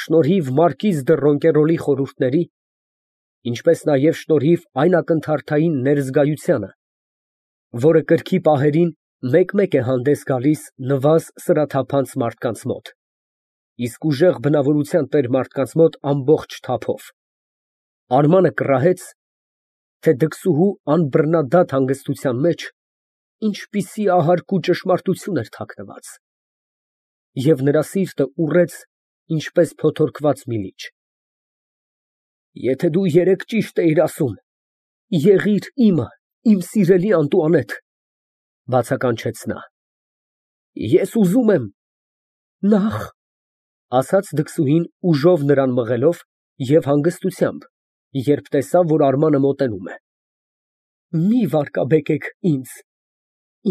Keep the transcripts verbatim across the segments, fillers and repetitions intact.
շնորհիվ մարկիզ դը Ռոնկերոլի խորհուրդների, ինչպես նաև շնորհիվ այն ակնթարթային ներզգայությանը, որը կրքի պահերին մեկ֊մեկ է հանդես գալիս նվազ սրաթափանց մարդկանց մոտ, իսկ ուժեղ բնավորության տեր մարդկանց մոտ ամբողջ թափով, Արմանը կռահեց, թե դքսուհու անբռնադատ հանգստության մեջ ինչպիսի ահարկ ու ճշմարտություն էր թաքնված, և նրա սիրտը ուռեց, ինչպես փոթորկված մի լիճ։ Եթե դու երեկ ճիշտ էիր ասում, եղիր իմը, իմ սիրելի Անտուանետ, բացականչեց նա։ Ես ուզում եմ… Նախ… ասաց դքսուհին ուժով նրան մղելով և հանգստությամբ, երբ տեսավ, որ Արմանը մոտենում է։ Մի վարկաբեկեք ինձ,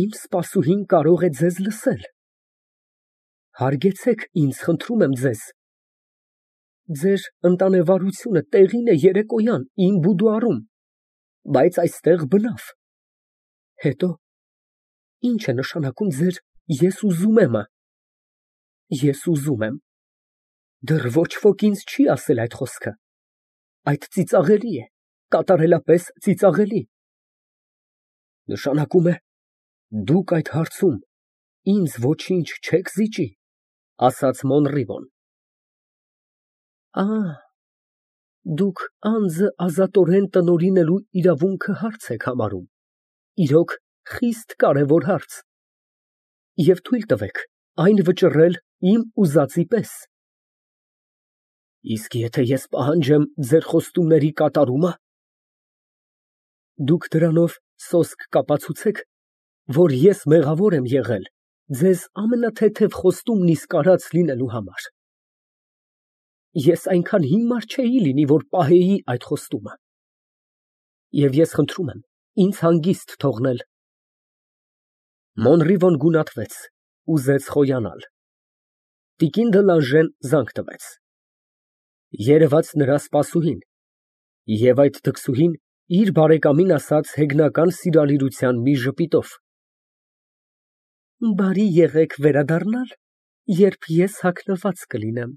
իմ սպասուհին կարող է ձեզ լսել։ Հարգեցեք ինձ, խնդրում եմ ձեզ։ Ձեր ընտանեվարությունը տեղին է երեկոյան իմ բուդուարում, բայց այստեղ բնավ։ Հետո, ի՞նչ է նշանակում ձեր «ես ուզում եմ»֊ը։ Ես ուզում եմ… Դեռ ոչ ոք ինձ չի ասել այդ խոսքը։ Այդ ծիծաղելի է, կատարելապես ծիծաղելի։ Նշանակում է, դուք այդ հարցում ինձ ոչինչ չեք զիջի, ասաց Մոնրիվոն։ Ա, դուք անձը ազատորեն տնօրինելու իրավունքը հարց եք համարում, իրոք, խիստ կարևոր հարց, և թույլ տվեք այն վճռել իմ ուզածի պես։ Իսկ եթե ես պահանջեմ ձեր խոստումների կատարումը… Դուք դրանով սոսկ կապացուցեք, որ ես մեղավոր եմ եղել ձեզ ամենաթեթև խոստումն իսկ արած լինելու համար։ Ես այնքան հիմար չէի լինի, որ պահեի այդ խոստումը։ Եվ ես խնդրում եմ ինձ հանգիստ թողնել։ Մոնրիվոն գունատվեց, ուզեց խոյանալ։ Տիկին դը Լանժեն զանգ տվեց։ Երևաց նրա սպասուհին, և այդ դքսուհին իր բարեկամին ասաց հեգնական սիրալիրության մի ժպիտով. Բարի եղեք վերադառնալ, երբ ես հագնված կլինեմ։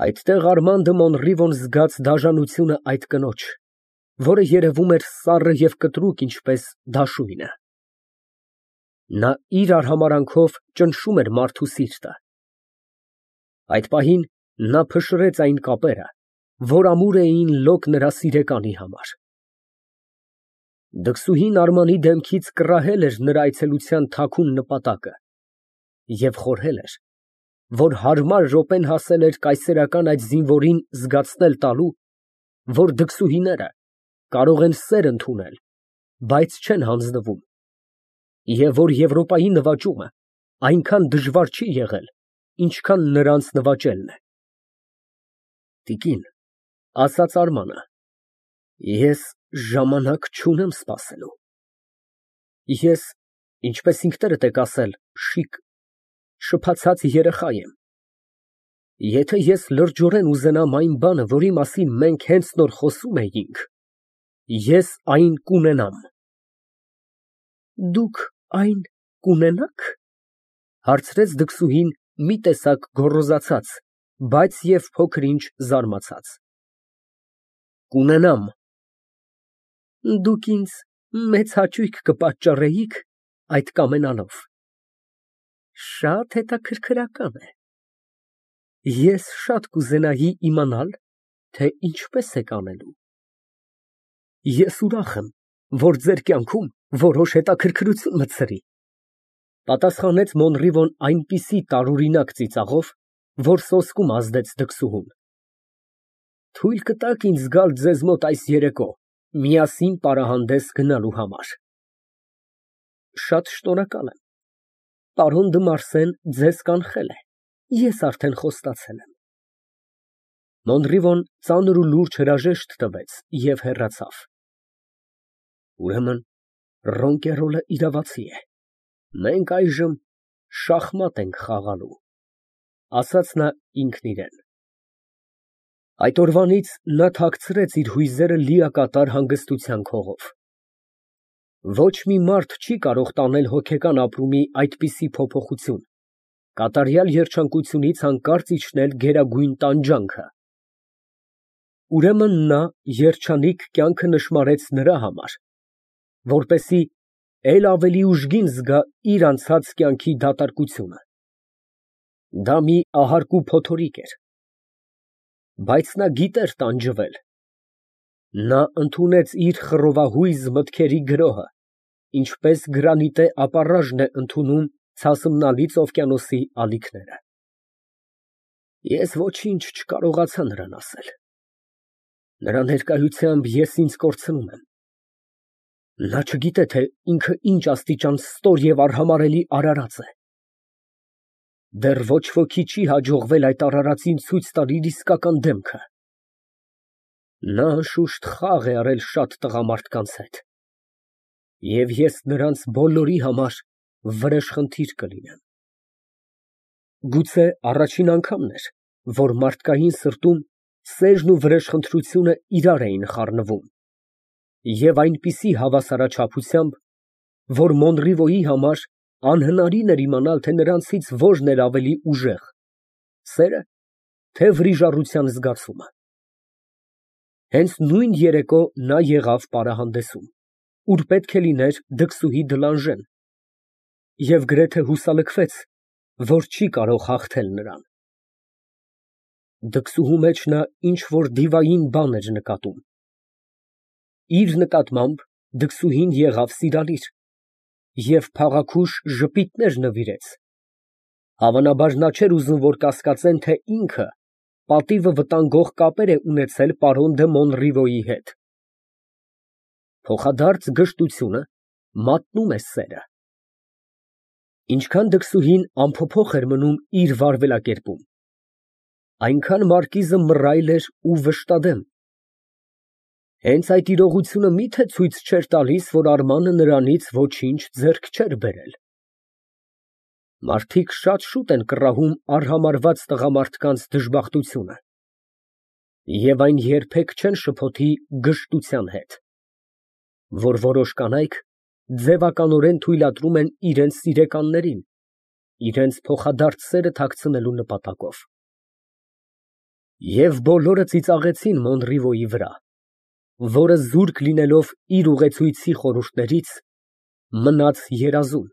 Այդտեղ Արման դը Մոնրիվոն զգաց դաժանությունը այդ կնոջ, որը երևում էր սառը և կտրուկ, ինչպես դաշույնը։ Նա իր արհամարհանքով ճնշում էր մարդու սիրտը։ Այդ պահին նա փշրեց այն կապերը, որ ամուր էին լոկ նրա սիրեկանի համար։ Դքսուհին Արմանի դեմքից կռահել էր նրա այցելության թաքուն նպատակը և խորհել էր, որ հարմար րոպեն հասել էր կայսերական այդ զինվորին զգացնել տալու, որ դքսուհիները կարող են սեր ընդունել, բայց չեն հանձնվում, և որ Եվրոպայի նվաճումը այնքան դժվար չի եղել, ինչքան նրանց նվաճելն է։ Տիկին, ասաց Արմանը, ես ժամանակ չունեմ սպասելու։ Ես, ինչպես ինքներդ եք ասել, շիկ… շփացած երեխա եմ։ Եթե ես լրջորեն ուզենամ այն բանը, որի մասին մենք հենց նոր խոսում էինք, ես այն կունենամ։ Դուք այն կունենա՞ք, հարցրեց դքսուհին մի տեսակ գոռոզացած, բայց և փոքր֊ինչ զարմացած։ Կունենամ։ Դուք ինձ մեծ հաճույք կպատճառեիք այդ կամենալով։ Շատ հետաքրքրական է։ Ես շատ կուզենայի իմանալ, թե ինչպես եք անելու։ Ես ուրախ եմ, որ ձեր կյանքում որոշ հետաքրքրություն մտցրի, պատասխանեց Մոնրիվոն այնպիսի տարօրինակ ծիծաղով, որ սոսկում ազդեց դքսուհուն։ Թույլ կտա՞ք ինձ գալ ձեզ մոտ այս երեկո միասին պարահանդես գնալու համար։ Շատ շնորհակալ եմ։ Պարոն դը Մարսեն ձեզ կանխել է, ես արդեն խոստացել եմ։ Մոնրիվոն ծանր ու լուրջ հրաժեշտ տվեց և հեռացավ։ Ուրեմն Ռոնկերոլը իրավացի է, մենք այժմ շախմատ ենք խաղալու, ասաց նա ինքն իրան։ Այդ օրվանից նա թաքցրեց իր հույզերը լիակատար հանգստության քողով։ Ոչ մի մարդ չի կարող տանել հոգեկան ապրումի այդպիսի փոփոխություն, Կատարյալ երջանկությունից հանկարծ իջնել գերագույն տանջանքը։ Ուրեմն նա երջանիկ կյանքը նշմարեց նրա համար, որպեսզի էլ ավելի ուժգին զգա իր անցած կյանքի դատարկությունը։ Դա մի ահարկու փոթորիկ էր, բայց նա գիտեր տանջվել։ Նա ընդունեց իր խռովահույզ մտքերի գրոհը, ինչպես գրանիտե ապառաժն է ընդունում ցասմնալից օվկիանոսի ալիքները։ Ես ոչինչ չկարողացա նրան ասել։ Նրա ներկայությամբ ես ինձ կորցնում եմ։ Նա չգիտե, թե ինքը ինչ աստիճան ստոր և արհամարհելի արարած է։ Դեռ ոչ ոքի չի հաջողվել այդ արարածին ցույց տալ իր իսկական դեմքը։ Նա անշուշտ խաղ է արել շատ տղամարդկանց հետ, և ես նրանց բոլորի համար վրեժխնդիր կլինեմ։ Գուցե առաջին անգամն էր, որ մարդկային սրտում սերն ու վրեժխնդրությունը իրար էին խառնվում, և այնպիսի հավասարաչափությամբ, որ Մոնրիվոյի համար անհնարին էր իմանալ, թե նրանցից որն էր ավելի ուժեղ՝ սերը, թե վրիժառության զգացումը։ Հենց նույն երեկո նա եղավ պարահանդեսում, ուր պետք է լիներ դքսուհի Դլանժեն, և գրեթե հուսալքվեց, որ չի կարող հաղթել նրան։ Դքսուհու մեջ նա ինչ֊որ դիվային բան էր նկատում։ Իր նկատմամբ դքսուհին եղավ սիրալիր և փաղաքուշ ժպիտներ նվիրեց։ Հավանաբար նա չէր ուզում, որ կասկածեն, թե ինքը պատիվը վտանգող կապեր է ունեցել պարոն դը Մոնրիվոյի հետ։ Փոխադարձ գժտությունը մատնում է սերը։ Ինչքան դքսուհին անփոփոխ էր մնում իր վարվելակերպում, այնքան մարկիզը մռայլ էր ու վշտադեմ։ Հենց այդ իրողությունը մի՞թե ցույց չէր տալիս, որ Արմանը նրանից ոչինչ ձեռք չէր բերել։ Մարդիկ շատ շուտ են կռահում արհամարհված տղամարդկանց դժբախտությունը, և այն երբեք չեն շփոթի գժտության հետ, որ որոշ կանայք ձևականորեն թույլատրում են իրենց սիրեկաններին, իրենց փոխադարձ սերը թաքցնելու նպատակով։ Եվ բոլորը ծիծաղեցին Մոնրիվոյի վրա, որը զուրկ լինելով իր ուղեկցույցի խորհուրդներից, մնաց երազում,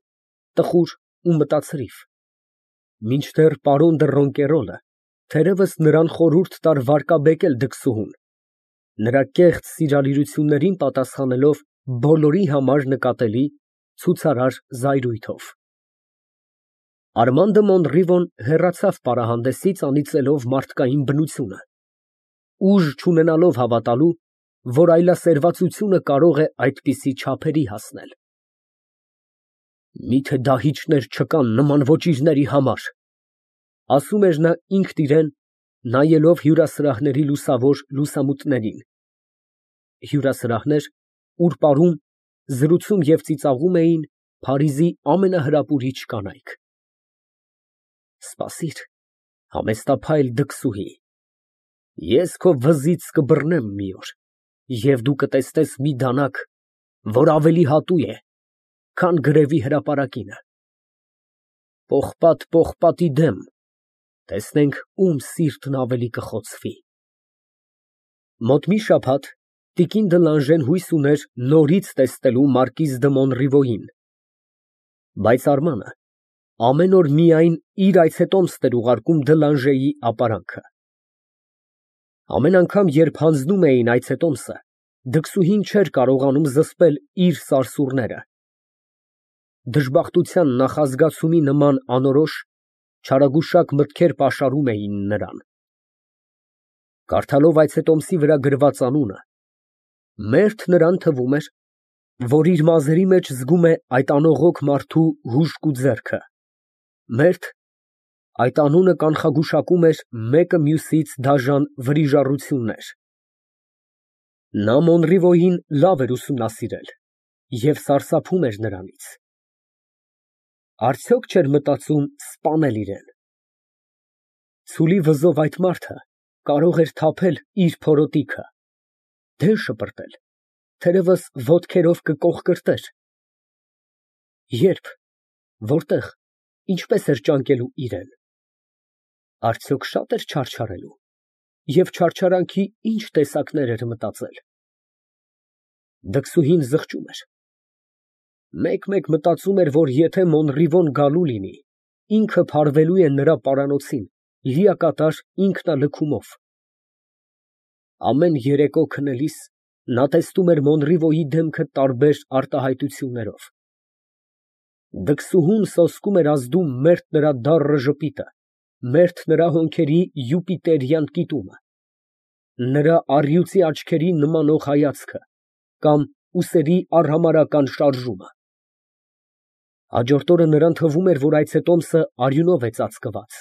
տխուր ու մտածրիվ, մինչդեռ պարոն դը Ռոնկերոլը թերևս նրան խորհուրդ տար վարկաբեկել դքսուհուն, նրա կեղծ սիրալիրություններին պատասխանելով բոլորի համար նկատելի ցուցարար զայրույթով։ Արման դը Մոնրիվոն հեռացավ պարահանդեսից, անիծելով մարդկային բնությունը, ուժ չունենալով հավատալու, որ այլասերվածությունը կարող է այդպիսի չափերի հասնել։ Մի՞թե դահիճներ չկան նման ոճիրների համար, ասում էր նա ինքն իրան, նայելով հյուրասրահների լուսավոր լուսամուտներին, հյուրասրահներ, ուր պարում, զրուցում և ծիծաղում էին Փարիզի ամենահրապուրիչ կանայք։ Սպասիր, համեստափայլ դքսուհի, ես քո վզից կբռնեմ մի օր, և դու կտեսնես մի դանակ, որ ավելի հատուկ է, քան գրեվի հրապարակինը։ Պողպատ պողպատի դեմ, տեսնենք ում սիրտն ավելի կխոցվի։ Մոտ մի շաբաթ տիկին Դլանժեն հույս ուներ նորից տեսնելու մարկիզ դը Մոնրիվոյին, բայց Արմանը ամեն օր միայն իր այցետոմսն էր ուղարկում Դլանժեի ապարանքը։ Ամեն անգամ, երբ հանձնում էին այցետոմսը, դքսուհին չէր կարողանում զսպել իր սարսուռները։ Դժբախտության նախազգացումի նման անորոշ, չարագուշակ մտքեր պաշարում էին նրան։ Կարդալով այցետոմսի վրա գրված անունը, մերթ նրան թվում էր, որ իր մազերի մեջ զգում է այդ անողոք մարդու հուժկու ձեռքը, մերթ այդ անունը կանխագուշակում էր մեկը մյուսից դաժան վրիժառություններ։ Նա Մոնրիվոյին լավ էր ուսումնասիրել և սարսափում էր նրանից։ Արդյոք չէր մտածում սպանել իրան։ Ցուլի վզով այդ մարդը կարող էր թափել իր փորոտիքը, դեն շպրտել, թերևս ոտքերով կկողկրտեր։ Ե՞րբ, որտե՞ղ, ինչպես էր ճանկելու իրեն։ Արդյոք շատ էր չարչարելու և չարչարանքի ինչ տեսակներ էր մտածել։ Դքսուհին զղջում էր։ Մեկ֊մեկ մտածում էր, որ եթե Մոնռիվոն գալու լինի, ինքը փարվելու է նրա պարանոցին, լիակատար ինքնալքումով։ Ամեն երեկո քնելիս նա տեսնում էր Մոնռիվոյի դեմքը տարբեր արտահայտություններով։ Դքսուհուն սոսկում էր ազդում մերթ նրա դառը ժպիտը, մերթ նրա հոնքերի յուպիտերյան կիտումը, նրա առյուծի աչքերի նմանող հայացքը կամ ուսերի արհամարհական շարժումը։ Հաջորդ օրը նրան թվում էր, որ այցետոմսը արյունով է ծածկված։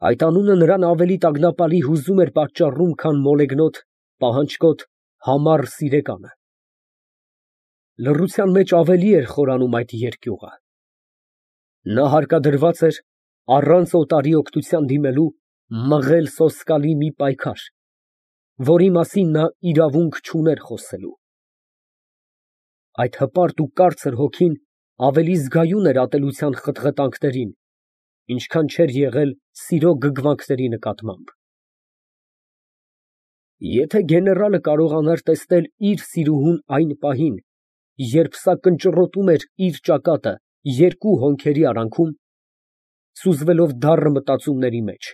Այդ անունը նրան ավելի տագնապալի հուզում էր պատճառում, քան մոլեգնոտ, պահանջկոտ, համառ սիրեկանը։ Լռության մեջ ավելի էր խորանում այդ երկյուղը։ Նա հարկադրված էր, առանց օտարի օգնության դիմելու, մղել սոսկալի մի պայքար, որի մասին նա իրավունք չուներ խոսելու։ Այդ հպարտ ու կարծր հոգին ավելի զգայուն էր ատելության խտղտանքներին, ինչքան չէր եղել սիրո գգվանքների նկատմամբ։ Եթե գեներալը կարողանար տեսնել իր սիրուհուն այն պահին, երբ սա կնճռոտում էր իր ճակատը երկու հոնքերի արանքում, սուզվելով դառը մտածումների մեջ,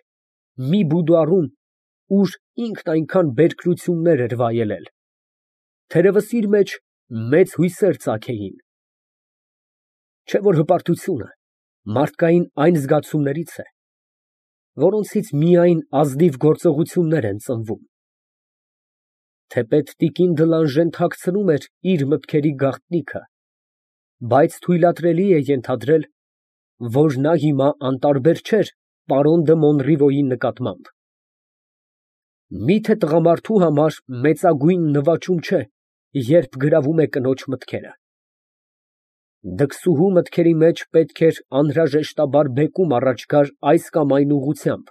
մի բուդուարում, ուր ինքն այնքան բերքրություններ էր վայելել, թերևս իր մեջ մեծ հույսեր ծագեին։ Չէ՞ որ հպարտությունը մարդկային այն զգացումներից է, որոնցից միայն ազնիվ գործողություններ են ծնվում։ Թեպետ տիկին Դլանժեն թաքցնում էր իր մտքերի գաղտնիքը, բայց թույլատրելի է ենթադրել, որ նա հիմա անտարբեր չէր պարոն դը Մոնռիվոյի նկատմամբ։ Միթե տղամարդու համար մեծագույն նվաճում չէ, երբ գրավում է կնոջ մտքերը։ Դքսուհու մտքերի մեջ պետք էր անհրաժեշտաբար բեկում առաջ գար այս կամ այն ուղղությամբ։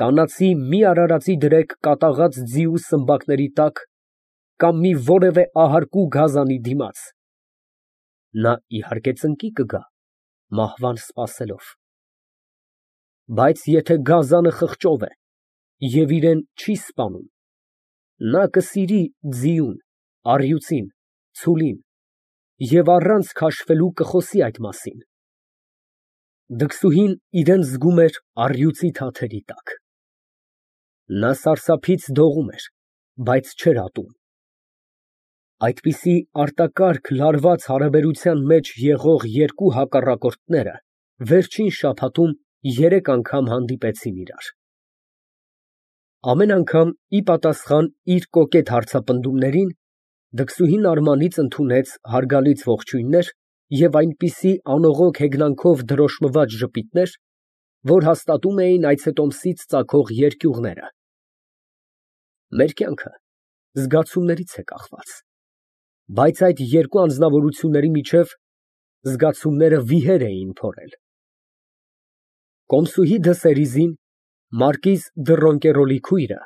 Կանացի մի արարածի դրեք կատաղած ձիու սմբակների տակ կամ մի որևէ ահարկու գազանի դիմաց։ Նա իհարկե ծնկի կգա, մահվան սպասելով։ Բայց եթե գազանը խղճով է և իրան չի սպանում, նա կսիրի ձիուն, առյուծին, ցուլին և առանց քաշվելու կխոսի այդ մասին։ Դքսուհին իրան զգում էր առյուծի թաթերի տակ։ Նա սարսափից դողում էր, բայց չէր ատում։ Այդպիսի արտակարգ լարված հարաբերության մեջ եղող երկու հակառակորդները վերջին շաբաթում երեք անգամ հանդիպեցին իրար։ Ամեն անգամ ի պատասխան իր կոկետ հարցապնդումներին Դքսուհին արմանից ընդունեց հարգալից ողջույններ և այնպիսի անողոք հեգնանքով դրոշմված ժպիտներ, որ հաստատում էին այցետոմսից ծագող երկյուղները։ Մեր կյանքը զգացումներից է կախված, բայց այդ երկու անձնավորությունների միջև զգացումները վիհեր էին փորել։ Կոմսուհի դը Սերիզին, մարկիզ դը Ռոնկերոլի քույրը,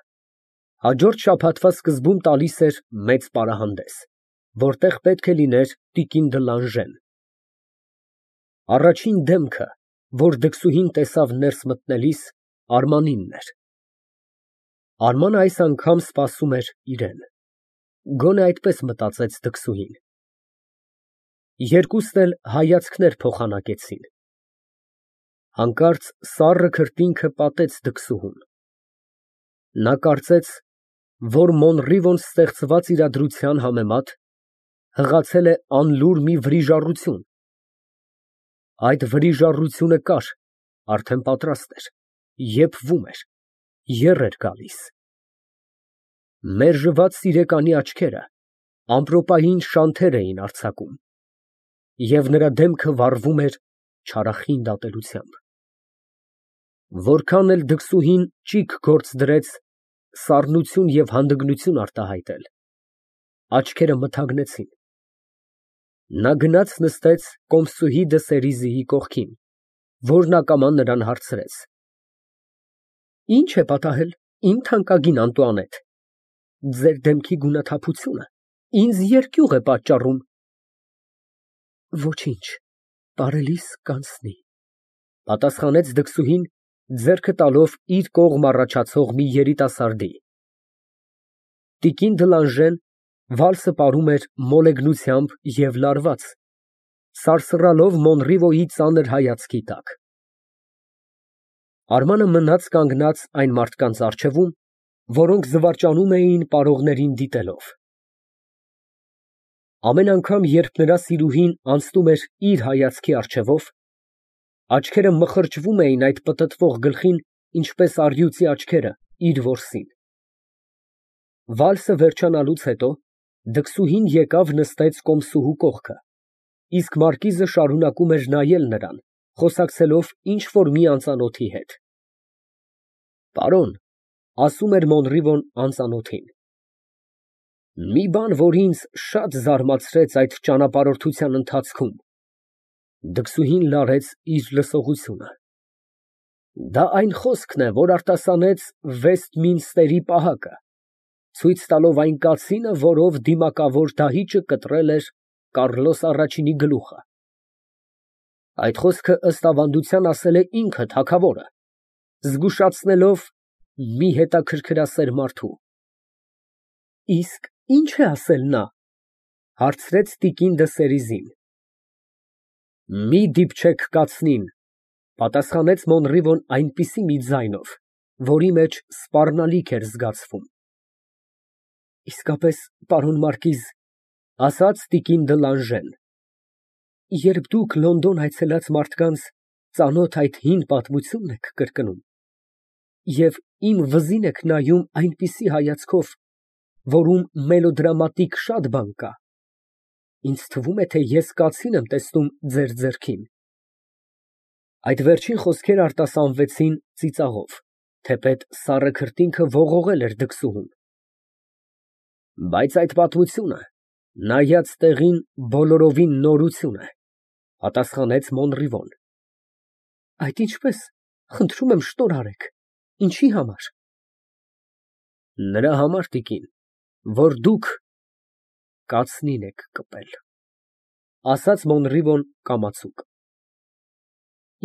հաջորդ շաբաթվա սկզբում տալիս էր մեծ պարահանդես, որտեղ պետք է լիներ տիկին Դլանժեն։ Առաջին դեմքը, որ Դքսուհին տեսավ ներս մտնելիս, Արմանինն էր։ Արմանը այս անգամ սպասում էր իրան։ Գոնե այդպես մտածեց Դքսուհին։ Երկուսն էլ հայացքներ փոխանակեցին։ Հանկարծ սառը քրտինքը պատեց Դքսուհուն։ Նա կարծեց, որ Մոնռիվոն ստեղծված իրադրության համեմատ հղացել է անլուր մի վրիժառություն։ Այդ վրիժառությունը կար, արդեն պատրաստ էր, եփվում էր, եռ էր գալիս։ Մերժված սիրեկանի աչքերը ամպրոպային շանթեր էին արձակում, և նրա դեմքը վառվում էր չարախինդ ատելությամբ։ Որքան էլ Դքսուհին ճիգ գործ դրեց սառնություն և հանդգնություն արտահայտել, աչքերը մթագնեցին։ Նա գնաց նստեց Կոմսուհի դը Սերիզիի կողքին, որն ակամա նրան հարցրեց. Ի՞նչ է պատահել, իմ թանկագին Անտուանետ, ձեր դեմքի գունաթափությունը ինձ երկյուղ է պատճառում։ Ոչինչ, Պարելիս կանցնի, պատասխանեց դքսուհին, ձեռքը տալով իր կողմ առաջացող մի երիտասարդի։ Տիկին Դլանժեն վալսը պարում էր մոլեգնությամբ և լարված, սարսռալով Մոնրիվոյի ծանր հայացքի տակ։ Արմանը մնաց կանգնած այն մարդկանց առջևում, որոնք զվարճանում էին պարողներին դիտելով։ Ամեն անգամ, երբ նրա սիրուհին անցնում էր իր հայացքի առջևով, աչքերը մխրճվում էին այդ պտտվող գլխին, ինչպես առյուծի աչքերը իր որսին։ Վալսը վերջանալուց հետո դքսուհին եկավ նստեց կոմսուհու կողքը, իսկ մարկիզը շարունակում էր նայել նրան, խոսակցելով ինչ֊որ մի անծանոթի հետ։ Պարոն, ասում էր Մոնրիվոն անծանոթին, մի բան, որ ինձ շատ զարմացրեց այդ ճանապարհորդության ընթացքում։ Դքսուհին լարեց իր լսողությունը։ Դա այն խոսքն է, որ արտասանեց Վեստմինստերի պահակը, ցույց տալով այն կացինը, որով դիմակավոր դահիճը կտրել էր Կառլոս առաջինի գլուխը։ Այդ խոսքը ըստ ավանդության ասել է ինքը թագավորը, զգուշացնելով մի հետաքրքրասեր մարդու։ Իսկ ի՞նչ է ասել նա, հարցրեց տիկին դը Սերիզին։ Մի դիպչեք կացնին, պատասխանեց Մոնրիվոն այնպիսի մի ձայնով, որի մեջ սպառնալիք էր զգացվում։ Իսկապես, պարոն մարկիզ, ասաց տիկին Դլանժեն, երբ դուք Լոնդոն այցելած մարդկանց ծանոթ այդ հին պատմությունն եք կրկնում, և իմ վզին եք նայում այնպիսի հայացքով, որում մելոդրամատիկ շատ բան կա, ինձ թվում է, թե ես կացին եմ տեսնում ձեր ձեռքին։ Այդ վերջին խոսքերը արտասանվեցին ծիծաղով, թեպետ սառը քրտինքը ողողել էր դքսուհուն։ Բայց այդ պատմությունը, նայած տեղին, բոլորովին նորություն է, պատասխանեց Մոնրիվոն։ Այդ ինչպես, խնդրում եմ շնորհ արեք, ինչի համար։ Նրա համար, տիկին, որ դուք կացնին եք կպել, ասաց Մոնրիվոն կամացուկ։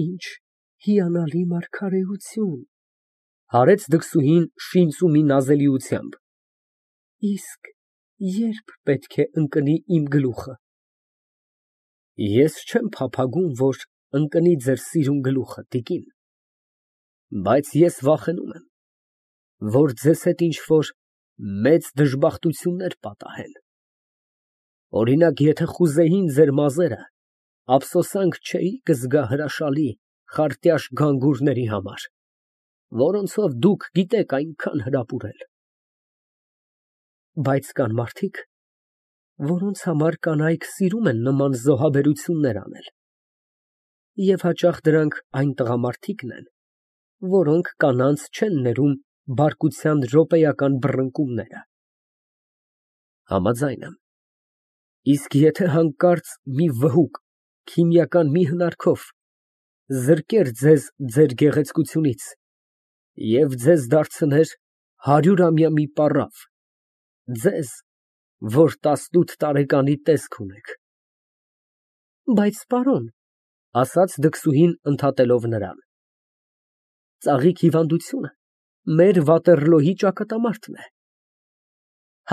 Ինչ հիանալի մարգարեություն, հարեց դքսուհին շինծու մի նազելիությամբ։ Իսկ ե՞րբ պետք է ընկնի իմ գլուխը։ Ես չեմ փափագում, որ ընկնի ձեր սիրուն գլուխը, տիկին, բայց ես վախենում եմ, որ ձեզ հետ ինչ֊որ մեծ դժբախտություններ պատահեն։ Օրինակ, եթե խուզեին ձեր մազերը, ափսոսանք չէի կզգա հրաշալի, խարտյաշ գանգուրների համար, որոնցով դուք գիտեք այնքան հրապուրել։ Բայց կան մարդիկ, որոնց համար կանայք սիրում են նման զոհաբերություններ անել, և հաճախ դրանք այն տղամարդիկն են, որոնք կանանց չեն ներում բարկության րոպեական բռնկումները։ Համաձայն եմ։ Իսկ եթե հանկարծ մի վհուկ քիմիական մի հնարքով զրկեր ձեզ ձեր գեղեցկությունից և ձեզ դարձներ հարյուրամյա մի պառավ, ձեզ, որ տասնութ տարեկանի տեսք ունեք։ Բայց, պարոն, ասաց դքսուհին ընդհատելով նրան, ծաղիկ հիվանդությունը մեր Վատերլոյի ճակատամարտն է։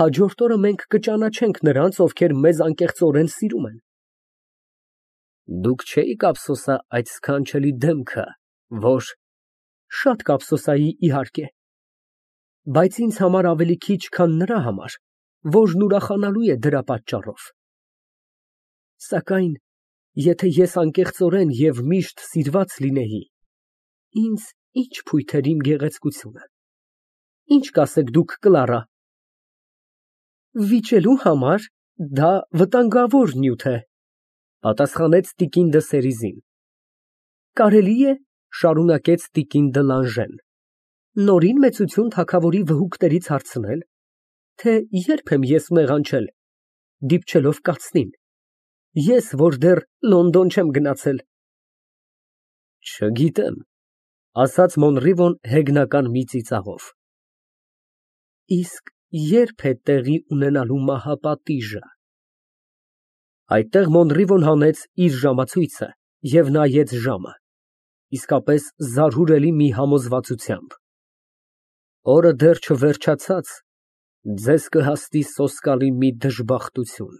Հաջորդ օրը մենք կճանաչենք նրանց, ովքեր մեզ անկեղծորեն սիրում են։ Դուք չէիք ափսոսա այդ սքանչելի դեմքը, որ… Շատ կափսոսայի, իհարկե, բայց ինձ համար ավելի քիչ, քան նրա համար, որն ուրախանալու է դրա պատճառով։ Սակայն եթե ես անկեղծորեն և միշտ սիրված լինեի, ինձ ի՞նչ փույթ էր իմ գեղեցկությունը։ Ի՞նչ կասեք դուք, Կլարա։ Վիճելու համար դա վտանգավոր նյութ է, պատասխանեց տիկին դը Սերիզին։ Կարելի է, շարունակեց տիկին Դլանժեն, նորին մեծություն թագավորի վհուկներից հարցնել, թե ե՞րբ եմ ես մեղանչել, դիպչելով կացնին, ես, որ դեռ Լոնդոն չեմ գնացել։ Չգիտեմ, ասաց Մոնրիվոն հեգնական մի ծիծաղով։ Իսկ ե՞րբ է տեղի ունենալու մահապատիժը։ Այդտեղ Մոնրիվոն հանեց իր ժամացույցը և նայեց ժամը, իսկապես զարհուրելի մի համոզվածությամբ։ Օրը դեռ չվերջացած, ձեզ կհասնի սոսկալի մի դժբախտություն։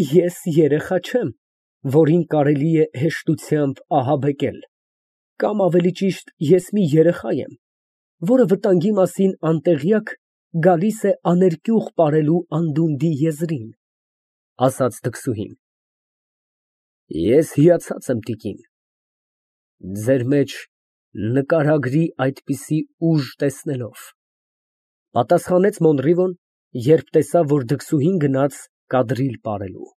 Ես երեխա չեմ, որին կարելի է հեշտությամբ ահաբեկել, կամ ավելի ճիշտ, ես մի երեխա եմ, որը վտանգի մասին անտեղյակ գալիս է աներկյուղ պարելու անդունդի եզրին։ Ես հիացած եմ, տիկին, ձեր մեջ նկարագրի այդպիսի ուժ տեսնելով, պատասխանեց Մոնրիվոն, երբ տեսավ, որ դքսուհին գնաց կադրիլ պարելու։